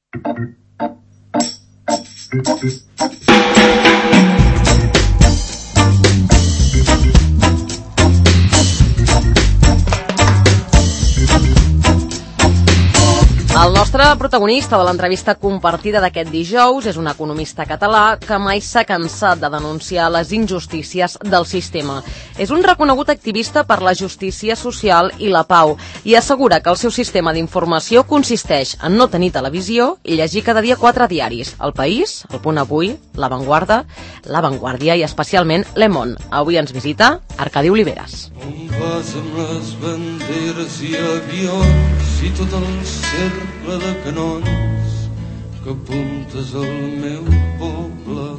El nostre protagonista de l'entrevista compartida d'aquest dijous és un economista català que mai s'ha cansat de denunciar les injustícies del sistema. És un reconegut activista per la justícia social i la pau i assegura que el seu sistema d'informació consisteix en no tenir televisió i llegir cada dia 4 diaris: El País, El Punt Avui, La Vanguardia, La Vanguardia i especialment Le Monde. Avui ens visita Arcadi Oliveres. On vas amb les banderes i avions i tot el cercle de canons que apuntes al meu poble?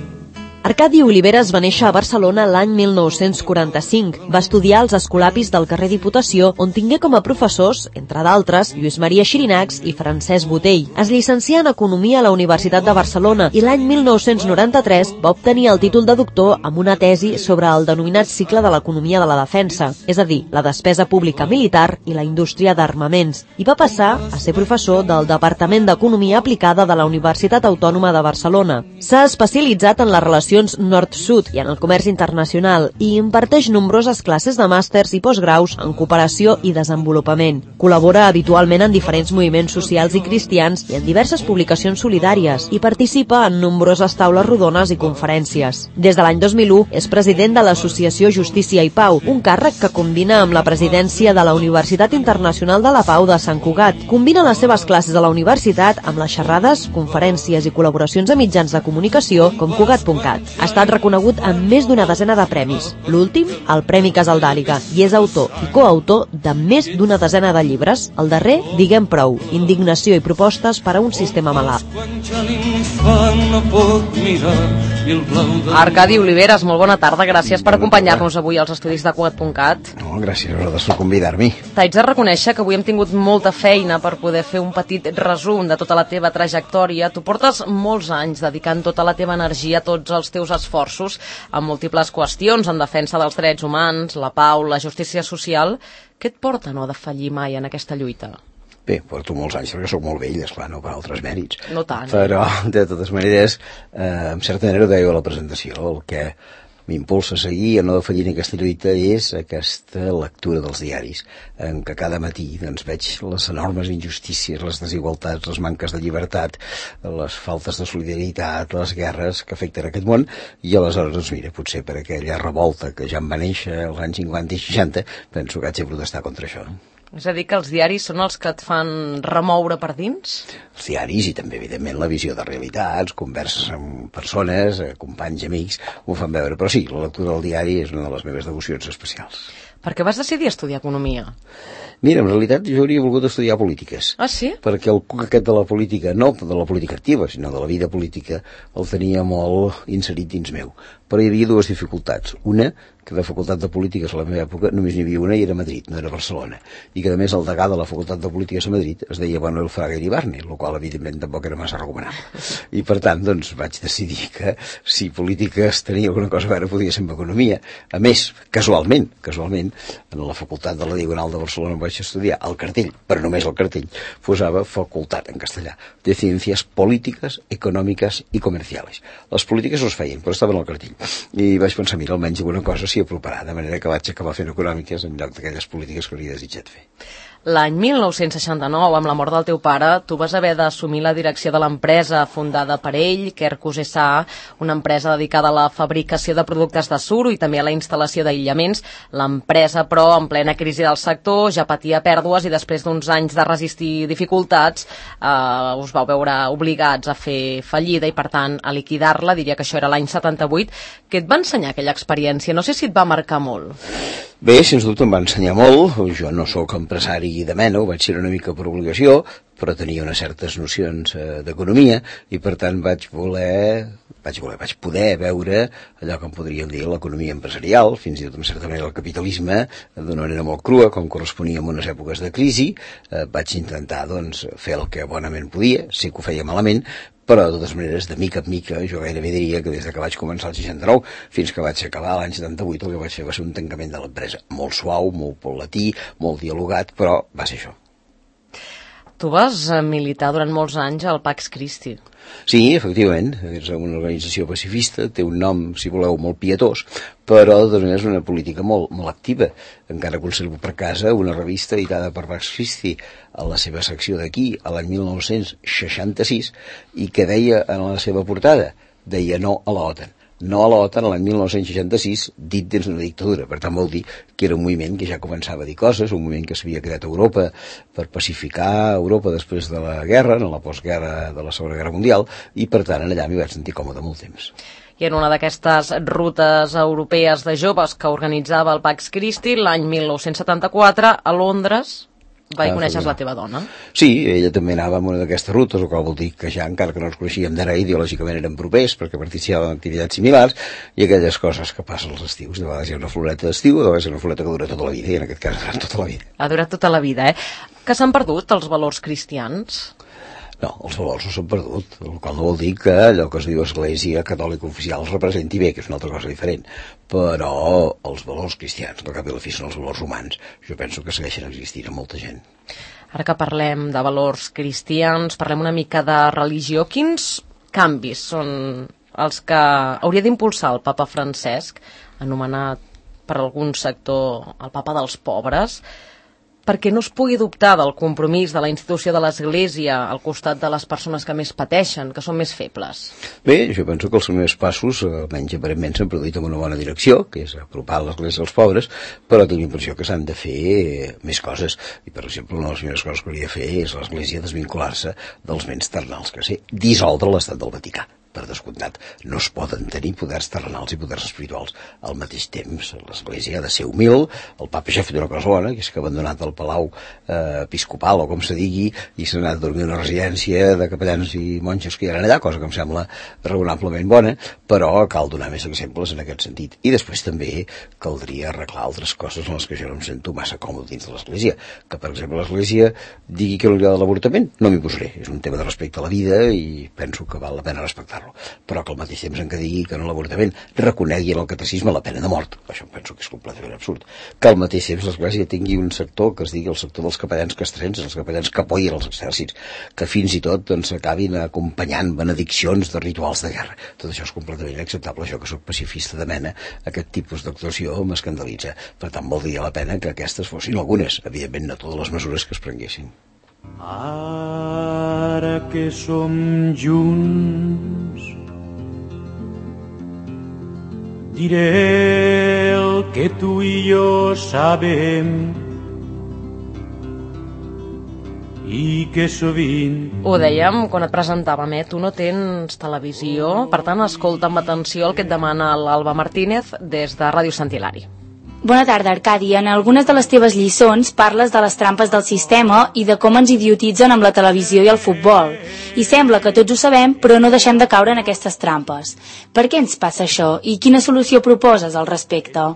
Arcadi Oliveres va néixer a Barcelona l'any 1945. Va estudiar als escolapis del carrer Diputació, on tingué com a professors, entre d'altres, Lluís Maria Xirinacs i Francesc Botell. Es llicencià en Economia a la Universitat de Barcelona i l'any 1993 va obtenir el títol de doctor amb una tesi sobre el denominat cicle de l'economia de la defensa, és a dir, la despesa pública militar i la indústria d'armaments, i va passar a ser professor del Departament d'Economia Aplicada de la Universitat Autònoma de Barcelona. S'ha especialitzat en les relacions nord-sud i en el comerç internacional i imparteix nombroses classes de màsters i postgraus en cooperació i desenvolupament. Col·labora habitualment en diferents moviments socials i cristians i en diverses publicacions solidàries i participa en nombroses taules rodones i conferències. Des de l'any 2001 és president de l'Associació Justícia i Pau, un càrrec que combina amb la presidència de la Universitat Internacional de la Pau de Sant Cugat. Combina les seves classes a la universitat amb les xerrades, conferències i col·laboracions a mitjans de comunicació com Cugat.cat. Ha estat reconegut amb més d'una desena de premis. L'últim, el Premi Casaldàliga, i és autor i coautor de més d'una desena de llibres. El darrer, Diguem prou, indignació i propostes per a un sistema malalt. Arcadi Oliveres, molt bona tarda. Gràcies per acompanyar-nos avui als estudis de Cugat.cat. No, gràcies a vosaltres per convidar-m'hi. T'haig de reconèixer que avui hem tingut molta feina per poder fer un petit resum de tota la teva trajectòria. Tu portes molts anys dedicant tota la teva energia a tots els teus esforços en múltiples qüestions en defensa dels drets humans, la pau, la justícia social. Què et porta no defallir mai en aquesta lluita? Bé, porto molts anys perquè sóc molt vell, esclar, no per altres mèrits. No tant. Però, de totes maneres, en certa manera ho deia a la presentació, el que m'impulsa a seguir a no defallir en aquesta lluita és aquesta lectura dels diaris, en què cada matí doncs, veig les enormes injustícies, les desigualtats, les manques de llibertat, les faltes de solidaritat, les guerres que afecten aquest món, i aleshores, doncs, mira, potser per aquella revolta que ja em va néixer als anys 50 i 60, penso que haig de protestar contra això. És a dir, que els diaris són els que et fan remoure per dins? Els diaris i també, evidentment, la visió de realitats, converses amb persones, companys, amics, ho fan veure. Però sí, la lectura del diari és una de les meves devocions especials. Per què vas decidir estudiar economia? Mira, en realitat jo hauria volgut estudiar polítiques. Ah, sí? Perquè el cuc aquest de la política, no de la política activa, sinó de la vida política, el tenia molt inserit dins meu. Però hi havia dues dificultats. Una, que de facultat de polítiques a la meva època només n'hi havia una i era Madrid, no era Barcelona. I que a més el degà de la facultat de polítiques a Madrid es deia Manuel Fraga Iribarne, el qual evidentment tampoc era massa recomanable. I per tant, doncs, vaig decidir que si polítiques tenia alguna cosa a veure podia ser amb economia. A més, casualment, en la facultat de la Diagonal de Barcelona vaig estudiar el cartell, però només el cartell, posava facultat en castellà, de Ciències Polítiques, Econòmiques i Comerciales. Les polítiques no es feien, però estaven al cartell. I vaig pensar, mira, almenys alguna cosa s'hi aproparà, de manera que vaig acabar fent econòmiques en lloc d'aquelles polítiques que hauria desitjat fer. L'any 1969, amb la mort del teu pare, tu vas haver d'assumir la direcció de l'empresa fundada per ell, Quercus S.A., una empresa dedicada a la fabricació de productes de suro i també a la instal·lació d'aïllaments. L'empresa, però, en plena crisi del sector, ja patia pèrdues i després d'uns anys de resistir dificultats us vau veure obligats a fer fallida i, per tant, a liquidar-la. Diria que això era l'any 78. Què et va ensenyar aquella experiència? No sé si et va marcar molt. Bé, sens dubte em va ensenyar molt. Jo no sóc empresari de mena, ho vaig ser una mica per obligació, però tenia unes certes nocions d'economia i per tant vaig poder veure allò que en podríem dir l'economia empresarial, fins i tot en certa manera el capitalisme, d'una manera molt crua, com corresponia en unes èpoques de crisi. Vaig intentar doncs, fer el que bonament podia, sí que ho feia malament, però de totes maneres, de mica en mica, jo gairebé diria que des que vaig començar el 69 fins que vaig acabar l'any 78, el que vaig fer va ser un tancament de l'empresa. Molt suau, molt paulatí, molt dialogat, però va ser això. Tu vas militar durant molts anys al Pax Christi. Sí, efectivament, és una organització pacifista, té un nom, si voleu, molt pietós, però és una política molt activa. Encara conservo per casa una revista editada per Pax Christi a la seva secció d'aquí, a l'any 1966, i que deia en la seva portada, deia no a la OTAN. No a l'OTAN l'any 1966, dit dins d'una dictadura. Per tant, vol dir que era un moviment que ja començava a dir coses, un moviment que s'havia creat a Europa per pacificar Europa després de la guerra, en la postguerra de la Segona Guerra Mundial, i per tant allà m'hi vaig sentir còmode molt temps. I en una d'aquestes rutes europees de joves que organitzava el Pax Christi, l'any 1974, a Londres, coneixes la teva dona? Sí, ella també anava en una d'aquestes rutes, el qual vol dir que ja, encara que no ens coneixíem d'ara, ideològicament eren propers, perquè participàvem en activitats similars, i aquelles coses que passen als estius. De vegades hi ha una floreta d'estiu, de vegades hi ha una floreta que dura tota la vida, i en aquest cas tota la vida. Ha durat tota la vida, Que s'han perdut els valors cristians? No, els valors no s'han perdut, el qual no vol dir que allò que es diu Església Catòlica Oficial els representi bé, que és una altra cosa diferent, però els valors cristians, al cap i a la fi són els valors humans, jo penso que segueixen existint a molta gent. Ara que parlem de valors cristians, parlem una mica de religió. Quins canvis són els que hauria d'impulsar el papa Francesc, anomenat per algun sector el papa dels pobres, perquè no es pugui dubtar del compromís de la institució de l'Església al costat de les persones que més pateixen, que són més febles? Bé, jo penso que els primers passos, almenys aparentment, s'han produït en una bona direcció, que és apropar l'Església als pobres, però tinc la impressió que s'han de fer més coses. I, per exemple, una de les primeres coses que hauria de fer és l'Església desvincular-se dels béns terrenals, que sé, dissoldre l'Estat del Vaticà. Per descomptat, no es poden tenir poders terrenals i poders espirituals. Al mateix temps, l'Església ha de ser humil, el papa ja ha fet una cosa bona, que és que ha abandonat el palau episcopal, o com se digui, i s'ha anat a dormir a una residència de capellans i monges que hi eren allà, cosa que em sembla raonablement bona, però cal donar més exemples en aquest sentit. I després també caldria arreglar altres coses en les que jo no em sento massa còmode dins de l'Església. Que, per exemple, l'Església digui que no li agrada l'avortament, no m'hi posaré. És un tema de respecte a la vida i penso que val la pena respectar-lo. Però que al mateix temps en què digui que no l'avortament reconegui en el catecisme la pena de mort. Això em penso que és completament absurd. Que al mateix temps l'Església tingui un sector que es digui el sector dels capellans castrens, els capellans que apoyen els exèrcits, que fins i tot s'acabin acompanyant benediccions de rituals de guerra. Tot això és completament inacceptable. Jo, que sóc pacifista de mena, aquest tipus d'actuació m'escandalitza. Per tant, valdria la pena que aquestes fossin algunes, evidentment no totes les mesures que es prenguessin. Ara que som junts, diré el que tu i jo sabem i que sovint... Ho dèiem quan et presentàvem, tu no tens televisió, per tant escolta amb atenció el que et demana l'Alba Martínez des de Ràdio Sant Hilari. Bona tarda, Arcadi. En algunes de les teves lliçons parles de les trampes del sistema i de com ens idiotitzen amb la televisió i el futbol. I sembla que tots ho sabem, però no deixem de caure en aquestes trampes. Per què ens passa això i quina solució proposes al respecte?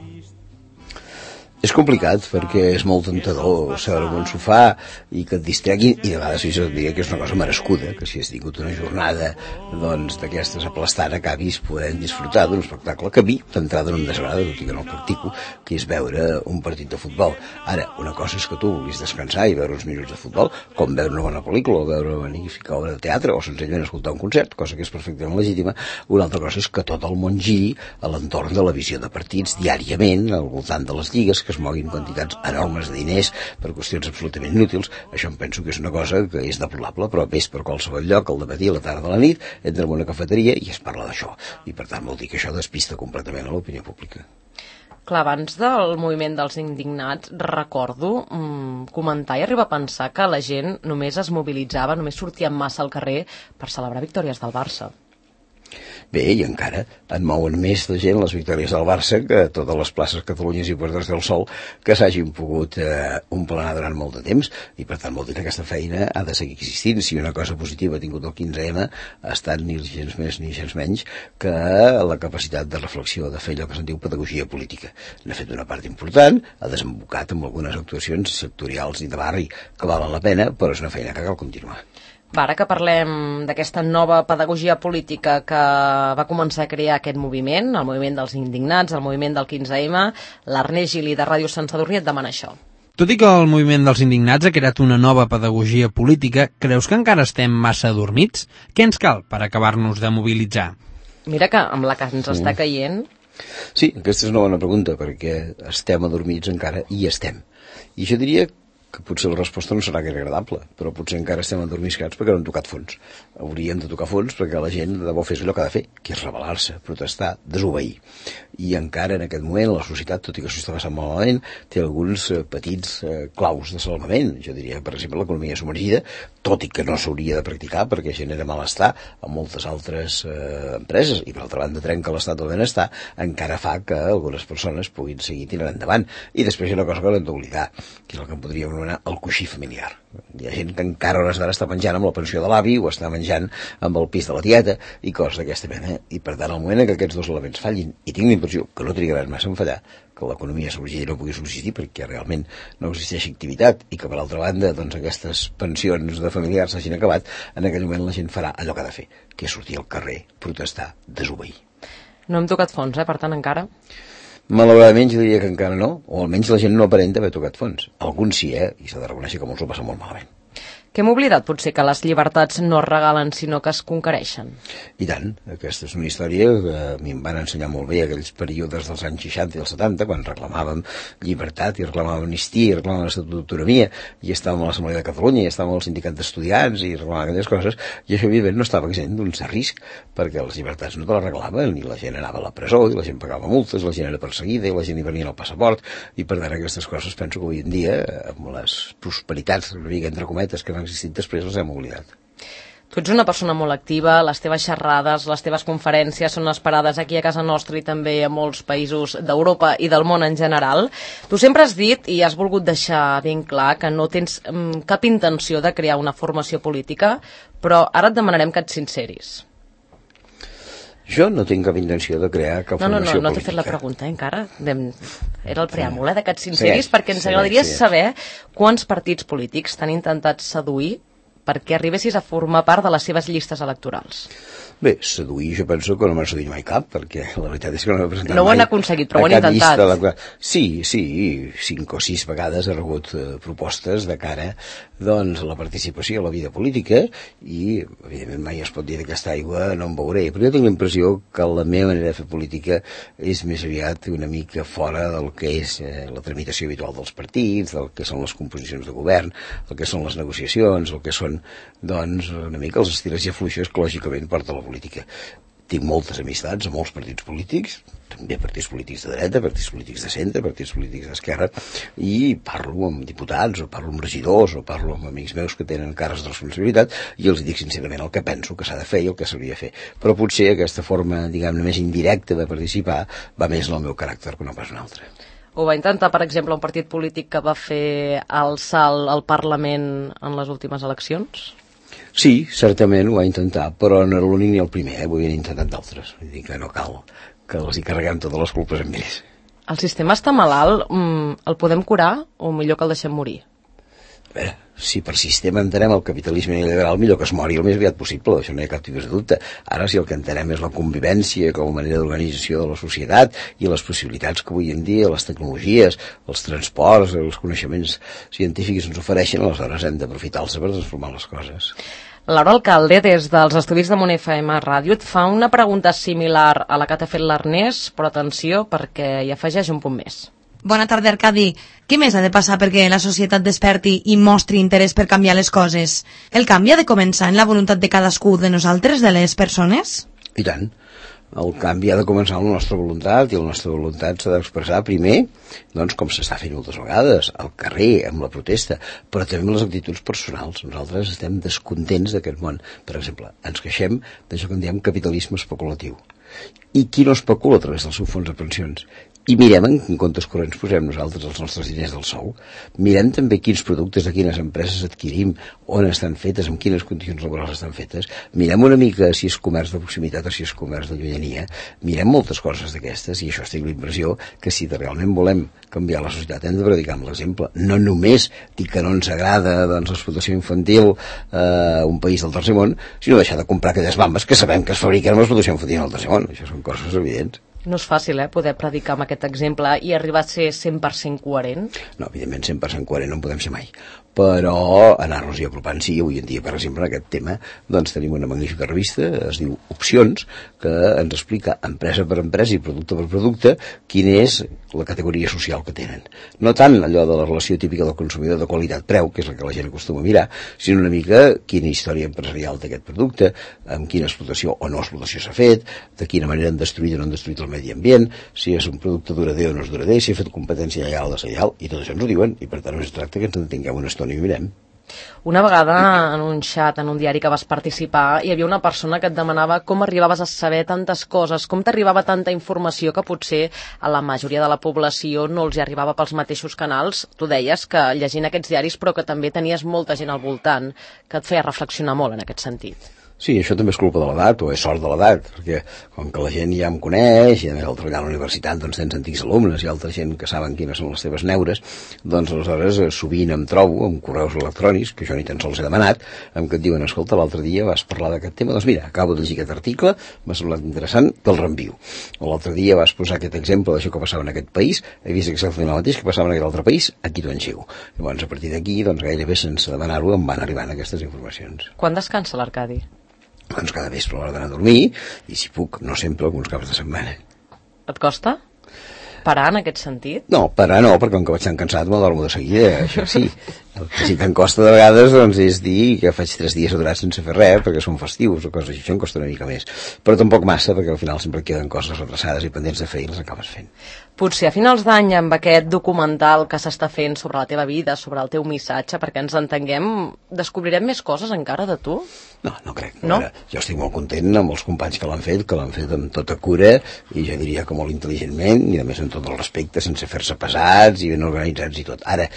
És complicat perquè és molt tentador seure en un sofà i que et distreguin, i de vegades jo et diria que és una cosa merescuda, que si has tingut una jornada d'aquestes aplastant acabis podent disfrutar d'un espectacle que a mi d'entrada no em desagrada, tot i que no el practico, que és veure un partit de futbol. Ara, una cosa és que tu vulguis descansar i veure uns minuts de futbol, com veure una bona pel·lícula o veure una magnífica obra de teatre o senzillament escoltar un concert, cosa que és perfectament legítima. Una altra cosa és que tot el món giri a l'entorn de la visió de partits diàriament al voltant de les lligues, que es moguin quantitats enormes de diners per qüestions absolutament inútils. Això em penso que és una cosa que és deplorable, però ves per qualsevol lloc al dematí, a la tarda, a la nit, entra en una cafeteria i es parla d'això. I per tant vol dir que això despista completament a l'opinió pública. Clar, abans del moviment dels indignats recordo comentar i arribar a pensar que la gent només es mobilitzava, només sortia en massa al carrer per celebrar victòries del Barça. Bé, i encara en mouen més de gent les victòries del Barça que totes les places Catalunyes i Puertas del Sol que s'hagin pogut omplenar durant molt de temps, i per tant vol dir que aquesta feina ha de seguir existint. Si una cosa positiva ha tingut el 15M ha estat ni gens més ni gens menys que la capacitat de reflexió, de fer allò que se'n diu pedagogia política. N'ha fet una part important, ha desembocat amb algunes actuacions sectorials i de barri que valen la pena, però és una feina que cal continuar. Ara que parlem d'aquesta nova pedagogia política que va començar a crear aquest moviment, el moviment dels indignats, el moviment del 15M, l'Ernest Gili de Ràdio Sant Sadurní et demana això. Tot i que el moviment dels indignats ha creat una nova pedagogia política, creus que encara estem massa adormits? Què ens cal per acabar-nos de mobilitzar? Mira que amb la que ens està caient... Sí, aquesta és una bona pregunta, perquè estem adormits encara i estem. I jo diria que potser la resposta no serà gaire agradable, però potser encara estem adormiscats perquè no han tocat fons. Hauríem de tocar fons perquè la gent de debò fes allò que ha de fer, que és rebel·lar-se, protestar, desobeir. I encara en aquest moment la societat, tot i que s'ho està passant malament, té alguns petits claus de salvament. Jo diria, per exemple, l'economia submergida, tot i que no s'hauria de practicar perquè genera malestar a moltes altres empreses, i per altra banda trenca l'estat del benestar, encara fa que algunes persones puguin seguir tirant endavant. I després hi ha una cosa que no hem d'oblidar, que és el que podríem anomenar el coixí familiar. Hi ha gent que encara a hores d'ara està menjant amb la pensió de l'avi o està menjant amb el pis de la tieta i coses d'aquesta mena. I per tant, al moment en què aquests dos elements fallin, i tinc la impressió que no trigaran massa en fallar, que l'economia submergida no pugui subsistir perquè realment no existeix activitat i que per altra banda doncs, aquestes pensions de familiars s'hagin acabat, en aquell moment la gent farà allò que ha de fer, que és sortir al carrer, protestar, desobeir. No hem tocat fons, per tant, encara? Malauradament jo diria que encara no, o almenys la gent no aparenta haver tocat fons. Alguns sí, i s'ha de reconèixer que molts ho passen molt malament. Que hem oblidat potser que les llibertats no es regalen sinó que es conquereixen? I tant, aquesta és una història que a mi em van ensenyar molt bé aquells períodes dels anys 60 i els 70 quan reclamàvem llibertat i reclamàvem amnistia i reclamàvem l'estatut d'autonomia i estàvem a l'Assemblea de Catalunya i estàvem al sindicat d'estudiants i reclamàvem aquelles coses i això evidentment no estava exempt d'un cert risc perquè les llibertats no te les reglaven i la gent anava a la presó i la gent pagava multes, la gent era perseguida i la gent hi venia el passaport i per tant aquestes coses penso que avui en dia amb les prosperitats una mica entre cometes que han existit després les hem oblidat. Tu ets una persona molt activa, les teves xerrades, les teves conferències són esperades aquí a casa nostra i també a molts països d'Europa i del món en general. Tu sempre has dit i has volgut deixar ben clar que no tens cap intenció de crear una formació política, però ara et demanarem que et sinceris. Jo no tinc cap intenció de crear cap formació política. No t'he fet la pregunta, encara. Era el preàmbul, de que et sinceris, perquè ens agradaria saber quants partits polítics t'han intentat seduir perquè arribessis a formar part de les seves llistes electorals. Bé, seduir jo penso que no m'ha seduït mai cap, perquè la veritat és que no m'he presentat mai. No ho han aconseguit, però ho han intentat. Sí, 5 o 6 vegades he rebut propostes de cara doncs, a la participació a la vida política i, evidentment, mai es pot dir d'aquesta aigua no em veuré, però jo tinc la impressió que la meva manera de fer política és més aviat una mica fora del que és la tramitació habitual dels partits, del que són les composicions de govern, el que són les negociacions, el que són, doncs, una mica els estires i afluixos que lògicament porta la política. Tinc moltes amistats a molts partits polítics, també partits polítics de dreta, partits polítics de centre, partits polítics d'esquerra, i parlo amb diputats, o parlo amb regidors, o parlo amb amics meus que tenen càrrecs de responsabilitat, i els dic sincerament el que penso que s'ha de fer i el que s'hauria de fer. Però potser aquesta forma, diguem-ne, més indirecta de participar va més en el meu caràcter que no pas un altre. Ho va intentar, per exemple, un partit polític que va fer el salt al Parlament en les últimes eleccions? Sí, certament ho va intentar, però no era l'únic ni el primer, ho havien intentat d'altres. Vull dir que no cal que els hi carreguem totes les culpes amb ells. El sistema està malalt, el podem curar o millor que el deixem morir? A veure, si per sistema entenem el capitalisme liberal, millor que es mori el més aviat possible, això no hi ha cap tipus de dubte. Ara, si el que entenem és la convivència com a manera d'organització de la societat i les possibilitats que avui en dia les tecnologies, els transports, els coneixements científics ens ofereixen, aleshores hem d'aprofitar-los per transformar les coses. Laura Alcalde, des dels estudis de Mont FM Ràdio, et fa una pregunta similar a la que t'ha fet l'Ernest, però atenció perquè hi afegeix un punt més. Bona tarda, Arcadi. Què més ha de passar perquè la societat desperti i mostri interès per canviar les coses? El canvi ha de començar en la voluntat de cadascú de nosaltres, de les persones? I tant. El canvi ha de començar amb la nostra voluntat i la nostra voluntat s'ha d'expressar primer, doncs com s'està fent moltes vegades, al carrer, amb la protesta, però també amb les actituds personals. Nosaltres estem descontents d'aquest món. Per exemple, ens queixem d'això que en diem capitalisme especulatiu. I qui no especula a través del seu fons de pensions? I mirem en quin comptes corrents posem nosaltres els nostres diners del sou. Mirem també quins productes de quines empreses adquirim, on estan fetes, amb quines condicions laborals estan fetes. Mirem una mica si és comerç de proximitat o si és comerç de llunyania. Mirem moltes coses d'aquestes i això estic la impressió que si realment volem canviar la societat hem de predicar amb l'exemple. No només dir que no ens agrada doncs, l'explotació infantil un país del tercer món, sinó deixar de comprar aquelles bambes que sabem que es fabriquen amb l'explotació infantil al tercer món. Això són coses evidents. No és fàcil, poder predicar amb aquest exemple i arribar a ser 100% coherent? No, evidentment 100% coherent no en podem ser mai, però anar-nos-hi apropant sí. Avui en dia, per exemple, en aquest tema doncs tenim una magnífica revista, es diu Opcions, que ens explica empresa per empresa i producte per producte quina és la categoria social que tenen. No tant allò de la relació típica del consumidor de qualitat-preu, que és la que la gent acostuma a mirar, sinó una mica quina història empresarial té aquest producte, amb quina explotació o no explotació s'ha fet, de quina manera han destruït o no han destruït el medi ambient, si és un producte durader o no és durader, si ha fet competència lleial o deslleial, i tot això ens ho diuen, i per tant es tracta que ens en tinguem una estona i mirem. Una vegada en un xat, en un diari que vas participar, hi havia una persona que et demanava com arribaves a saber tantes coses, com t'arribava tanta informació que potser a la majoria de la població no els hi arribava pels mateixos canals. Tu deies que llegint aquests diaris però que també tenies molta gent al voltant que et feia reflexionar molt en aquest sentit. Sí, això també és culpa de l'edat, o és sort de l'edat, perquè com que la gent ja em coneix, i a més al treballar a la universitat doncs tens antics alumnes i altra gent que saben quines són les teves neures, doncs aleshores sovint em trobo amb correus electrònics, que jo ni tan sols he demanat, en què et diuen, escolta, l'altre dia vas parlar d'aquest tema, doncs mira, acabo de llegir aquest article, m'ha semblat interessant, te'l reenvio. O l'altre dia vas posar aquest exemple d'això que passava en aquest país, he vist exactament el mateix que passava en aquest altre país, aquí t'ho enxego. Llavors, a partir d'aquí, doncs gairebé sense demanar-ho em van arribant aquestes informacions. Quan descansa l'Arcadi? Doncs cada vespre a l'hora d'anar a dormir, i si puc, no sempre, alguns caps de setmana. Et costa parar en aquest sentit? No, parar no, perquè com que vaig tan cansat m'adormo de seguida, això sí. El que sí que em costa de vegades doncs, és dir que faig 3 dies aturats sense fer res perquè són festius o coses així, això em costa una mica més. Però tampoc massa, perquè al final sempre queden coses retrasades i pendents de fer i les acabes fent. Potser a finals d'any, amb aquest documental que s'està fent sobre la teva vida, sobre el teu missatge, perquè ens entenguem, descobrirem més coses encara de tu? No, no crec. No? Ara, jo estic molt content amb els companys que l'han fet amb tota cura, i jo diria que molt intel·ligentment, i a més amb tot el respecte, sense fer-se pesats i ben organitzats i tot. Ara,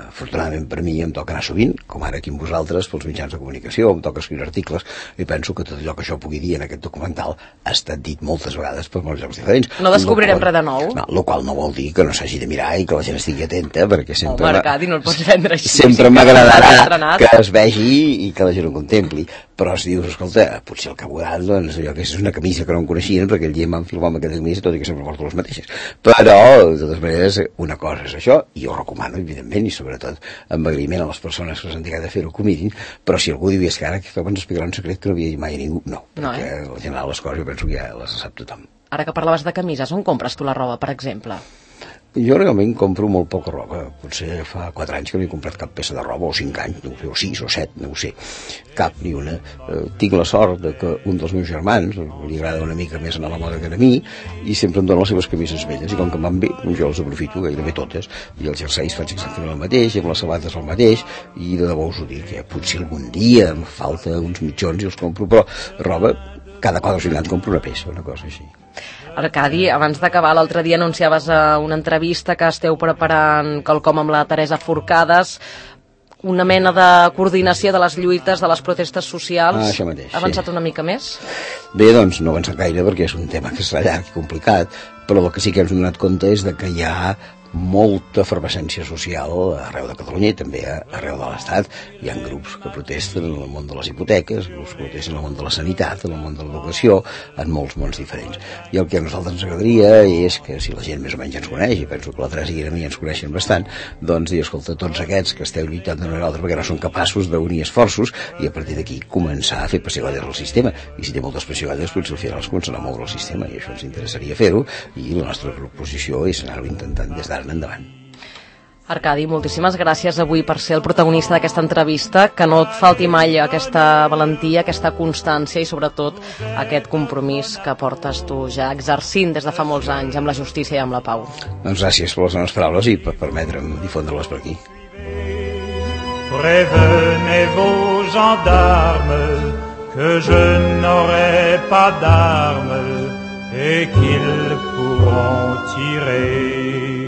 afortunadament per mi em toca anar sovint, com ara aquí amb vosaltres, pels mitjans de comunicació, em toca escriure articles, i penso que tot allò que jo pugui dir en aquest documental ha estat dit moltes vegades per molts llocs diferents. No descobrirem res de nou? No, el qual no vol dir que no s'hagi de mirar i que la gent estigui atenta, perquè sempre... Home, Arcadi, no el pots vendre així. Sempre m'agradarà que es vegi i que la gent ho contempli. Però si dius, escolta, potser el que ha abordat, doncs allò que és una camisa que no em coneixien, perquè el dia em van filmar amb aquesta camisa, tot i que sempre porto les mateixes. Però, de totes maneres, una cosa és això, i jo ho recomano, evidentment, i sobretot amb agraïment a les persones que s'han dedicat a fer-ho que ho mirin, però si algú diu, és que ara que ens explicarà un secret que no havia dit mai a ningú, no, perquè en general les coses jo penso que ja les sap tothom. Ara que parlaves de camises, on compres tu la roba, per exemple? Jo realment compro molt poca roba. Potser fa 4 anys que no he comprat cap peça de roba, o 5 anys, no ho sé, o 6 o 7, no ho sé. Cap, ni una. Tinc la sort de que un dels meus germans li agrada una mica més anar a la moda que a mi, i sempre em dona les seves camises velles, i com que em van bé, jo les aprofito gairebé totes, i els jerseis faig exactament el mateix, i amb les sabates el mateix, i de debò us ho dic, que potser algun dia em falta uns mitjons i els compro, però roba, cada 4 o 5 anys compro una peça, una cosa així. Arcadi, abans d'acabar, l'altre dia anunciaves a una entrevista que esteu preparant quelcom amb la Teresa Forcades, una mena de coordinació de les lluites, de les protestes socials. Això mateix, ha avançat una mica més? Bé, doncs no ha avançat gaire perquè és un tema que serà llarg i complicat, però el que sí que ens hem donat compte és que hi ha molta efervescència social arreu de Catalunya i també arreu de l'Estat. Hi ha grups que protesten en el món de les hipoteques, grups que protesten en el món de la sanitat, en el món de l'educació, en molts mons diferents. I el que a nosaltres ens agradaria és que, si la gent més o menys ens coneix, i penso que la Teresa i a mi ens coneixen bastant, doncs dir, escolta, tots aquests que esteu lluitant d'una manera o altra perquè no són capaços d'unir esforços i a partir d'aquí començar a fer pessigolles al sistema. I si té moltes pessigolles, potser al final es començarà a moure el sistema, i això ens interessaria fer-ho, i la nostra proposició és anar-ho intentant des d'ara en endavant. Arcadi, moltíssimes gràcies avui per ser el protagonista d'aquesta entrevista, que no et falti mai aquesta valentia, aquesta constància i sobretot aquest compromís que portes tu ja exercint des de fa molts anys amb la justícia i amb la pau. Doncs gràcies per les meves paraules i per permetre'm difondre-les per aquí. Prévenez vos gendarmes que je n'aurai pas d'armes et qu'ils pourront tirer